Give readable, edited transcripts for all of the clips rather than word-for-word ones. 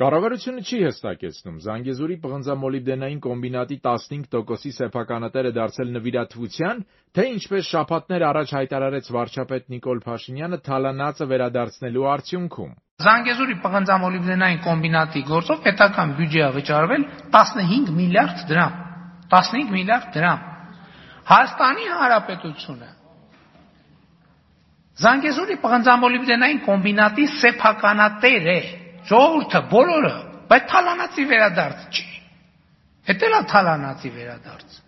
Կառավարությունը չի հստակեցնում Զանգեզուրի պղնձամոլիբդենային կոմբինատի 15%-ի սեփականատերը դարձել նվիրատվության, թե ինչպես շաբաթներ առաջ հայտարարեց վարչապետ Նիկոլ Փաշինյանը, թալանածը վերադարձնելու արդյունքում։ Զանգեզուրի պղնձամոլիբդենային կոմբինատի գործով պետական բյուջեա վճարվել 15 միլիարդ դրամ։ 15 միլիարդ դրամ։ Հայաստանի Հանրապետությունը Զանգեզուրի պղնձամոլիբդենային կոմբինատի սեփականատեր է։ Ժողովուրդը բոլորը, բայց թալանացի վերադարձ չի։ Էդ էլ է թալանացի վերադարձ։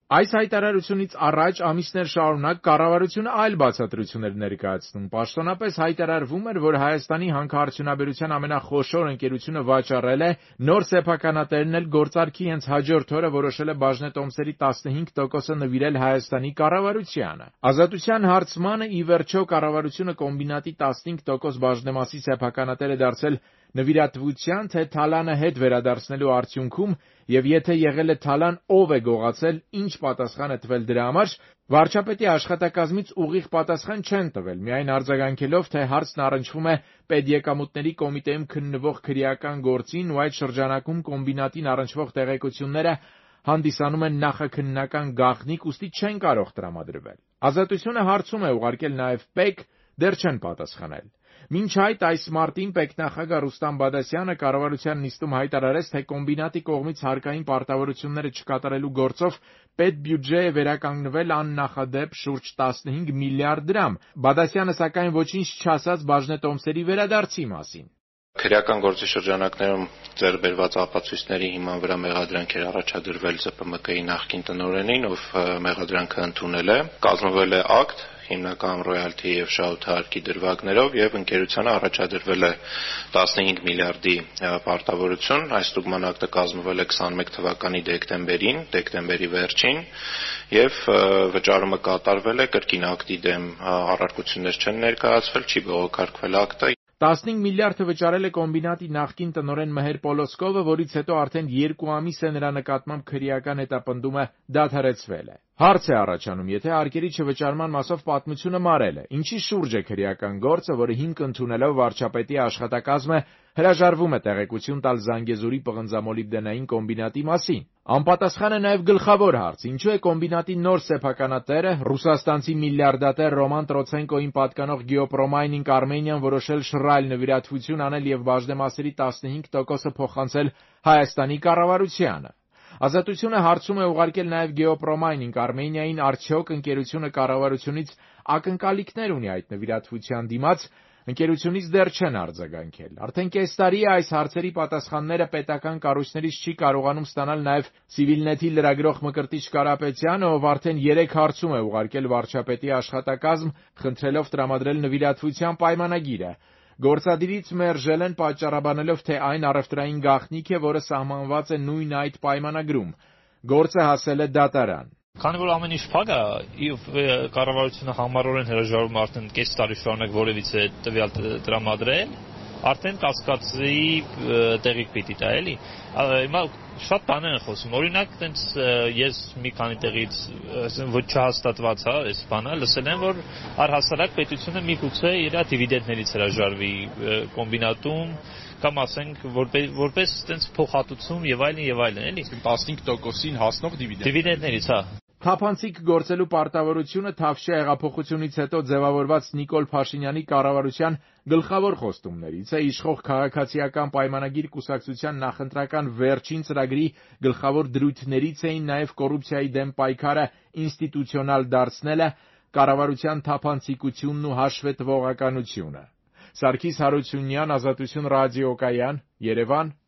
Այս հայտարարությունից առաջ ամիսներ շարունակ կառավարությունը այլ բացատրություն էր ներկայացնում։ Պաշտոնապես հայտարարվում էր, որ Հայաստանի հանքարդյունաբերության ամենախոշոր ընկերությունը վաճառել է, նոր սեփականատերն էլ գործարքի հենց հաջորդ օրը որոշել է բաժնետոմսերի 15%-ը նվիրել Հայաստանի կառավարությանը։ Ազատության հարցմանը ի վերջո կառավարությունը կոմբինատի 15% բաժնեմասի սեփականատեր է դարձել նվիրատվության, թե թալանը հետ վերադարձնելու արդյունքում, եւ եթե եղել է թալան, ով է գողացել, ինչ պատասխան է տվել դրա համար, վարչապետի աշխատակազմից ուղիղ պատասխան չեն տվել, միայն արձագանքելով, թե հարցն առնչվում է պետեկամուտների կոմիտեում քննվող քրեական գործին ու այդ շրջանակում կոմբինատին առնչվող տեղեկությունները հանդիսանում են նախաքննական գաղտնիք, ուստի չեն կարող տրամադրվել։ Ազատությունը հարցում է ուղարկել նաև ՊԵԿ, դեռ չեն պատասխանել։ Մինչ այդ այս մարտին պետնախագահ Ռուստամ Բադասյանը կառավարության նիստում հայտարարեց, թե կոմբինատի կողմից հարկային պարտավորությունները չկատարելու գործով պետբյուջե է վերականգնվել աննախադեպ շուրջ 15 միլիարդ դրամ։ Բադասյանը սակայն ոչինչ չասաց բաժնետոմսերի վերադարձի մասին։ Քրեական գործի շրջանակներում ձեռք բերված ապացույցների հիման վրա մեղադրանք էր առաջադրվել ԶՊՄԿ-ի նախկին տնօրենին, ով մեղադրանքը ընդունել է, կազմվել է ակտ հիմնական ռոյալթի եւ շահութահարկի դրվագներով եւ ընկերությանը առաջադրվել է 15 միլիարդի պարտավորություն։ Այս ստուգման ակտը կազմվել է 21 թվականի դեկտեմբերի վերջին եւ վճարումը կատարվել է, կրկին ակտի դեմ առարկություններ չեն ներկայացվել, չի բողոքարկվել ակտը։ 15 միլիարդը վճարել է կոմբինատի նախկին տնօրեն Մհեր Պոլոսկովը, որից հետո արդեն 2 ամիս է նրա նկատմամբ քրեական հետապնդումը դադարեցվել է։ Հարց է առաջանում, եթե արկերի չվճարման մասով պատմությունը մարել է, ինչի շուրջ է քրեական գործը, որը հիմք ընդունելով վարչապետի աշխատակազմը հրաժարվում է տեղեկություն տալ Զանգեզուրի պղնձամոլիբդենային կոմբինատի մասին։ Անպատասխան է նաև գլխավոր հարց. ինչու է կոմբինատի նոր սեփականատերը, ռուսաստանցի միլիարդատեր Ռոման Տրոցենկոին պատկանող Գեոպրոմայնինգ Արմենիան որոշել շռայլ նվիրատվություն անել եւ բաժնեմասերի 15%-ը փոխանցել Հայաստանի կառավարությանը։ Ազատությունը հարցում է ուղարկել նաև Գեոպրոմայնինգ Արմենիային, արդյոք ընկերությունը կառավարությունից ակնկալիքներ ունի այդ նվիրատվության դիմաց, ընկերությունից դեռ չեն արձագանքել։ Արդեն կես տարի է այս հարցերի պատասխանները պետական կառույցներից չի կարողանում ստանալ նաև Civilnet-ի լրագրող Մկրտիչ Կարապետյանը, ով արդեն 3 հարցում է ուղարկել վարչապետի աշխատակազմ, խնդրելով տրամադրել նվիրատվության պայմանագիրը։ Գործադիրից մերժել են պատճառաբանելով, թե այն առևտրային գաղտնիք է, որը սահմանված է նույն այդ պայմանագրում։ Գործը հասել է դատարան։ Քանի որ ամեն ինչ փակ է, կառավարությունը համառորեն հրաժարվում արդեն կես տարի շարունակ որևիցե տվյալ տրամադրել, արդեն կասկածի տեղիք պիտի տա, էլի։ Հիմա շատ բաներ են խոսում։ Օրինակ, տենց ես մի քանի տեղից ոչ չհաստատված է, այս բանը լսել եմ, որ առհասարակ պետությունը միգուցե իր դիվիդենդներից հրաժարվի կոմբինատում կամ ասենք որպես տենց փոխհատուցում եւ այլն, էլի։ 15%-ին հասնող դիվիդենդներից, հա։ Թափանցիկ գործելու պարտավորությունը Թավշյա հեղափոխությունից հետո ձևավորված Նիկոլ Փաշինյանի կառավարության գլխավոր խոստումներից է, իշխող քաղաքացիական պայմանագիր կուսակցության նախընտրական վերջին ծրագրի գլխավոր դրույթներից էին նաև կոռուպցիայի դեմ պայքարը ինստիտուցիոնալ դարձնելը, կառավարության թափանցիկությունն ու հաշվետվողականությունը։ Սարգիս Հարությունյան, Ազատություն ռադիոկայան, Երևան,